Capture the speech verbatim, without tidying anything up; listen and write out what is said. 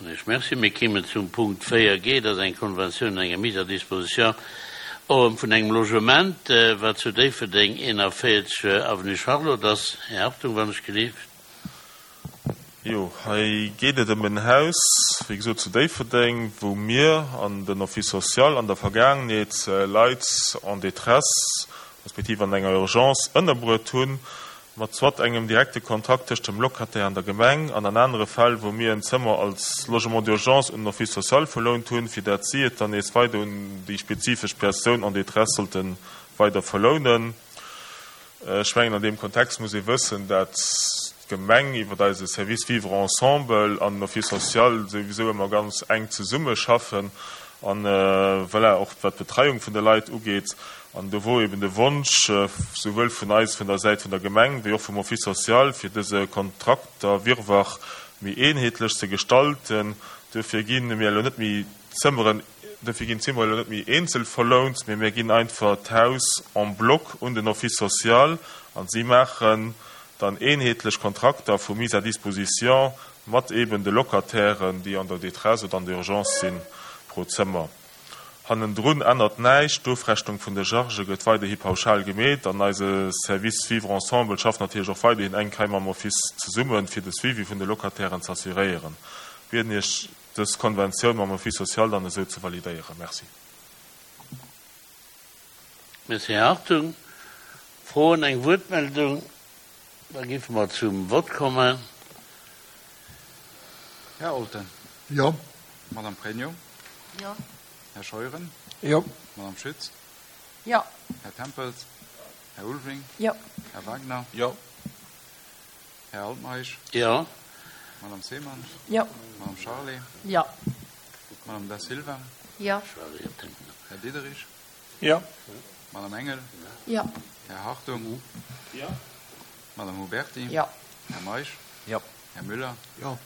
Soen ech Merci. Mir kéimen zum Punkt véier G, dat ass eng Konventioun, eng Mise à disposition vun engem Logement, wat zu Déifferdeng eenanvéierzeg Avenue Charlotte ass. Här Hartung, wann ech gelift. Jo, hei geet et ëm en Haus, wéi gesot, zu Déifferdeng, wou mir an den Office social an der Vergaangenheet Leit en détresse respektiv an enger Urgence ënnerbruet hunn, mat soit engem direkte Kontrakt tëscht dem Locataire an der Gemeng an an anere Fäll, wou mir en Zëmmer als Logement d'urgence un den Office social verlount hunn, fir dat si et dann nees weider un déi spezifesch Persoun en détresse sollte weider verlounen. Ech mengen, an deem Kontext muss ee wëssen, dat d'Gemeng iwwer eise Service Vivre ensemble an den Office social souwisou ëmmer ganz enk zesummeschaffen an, voilà, och wat d'Betreiung vun de Leit ugeet. An do wor eben de Wonsch souwuel vun eis vun der Säit vun der Gemeng wéi och vum Office social, fir dëse Kontrakterwirrwarr méi eenheetlech ze gestalten. Duerfir gi mir elo net méi d'Zëmmeren, duerfir ginn d'Zimmere elo net méi eenzel verlount, mee mir ginn einfach d'Haus en bloc un den Office social an si maachen dann eenheetlech Kontrakter vu Mise à disposition mat eben de Locatairen, déi an der Détresse oder an der Urgence sinn, pro Zëmmer. Hannendrun ännert näischt, d'Ofrechnung vun de Chargë gëtt weiderhi pauschal gemeet an eise Service Vivre ensemble schafft natierlech och weiderhin enk hei mam Office zesummen, fir de Suivi vun de Locatairen z'assuréieren. Bieden Iech, dës Konventioun mam Office social dann esou ze validéieren. Merci. Merci, Här Hartung. Froen, eng Wuertmeldung? Da géife mer zum Vott kommen. Här Olten. Jo. Madame Pregno. Jo. Här Scheuren. Jo. Madame Schütz. Jo. Här Tempels. Här Ulveling. Jo. Här Wagner. Jo. Här Altmeisch. Jo. Madame Seemann. Jo. Madame Charlé. Jo. Madame Da Silva. Jo. Här Diderich. Jo. Madame Engel. Jo. Här Hartung. Jo. Madame Huberti. Jo. Här Meisch. Jo. Här Müller. Jo.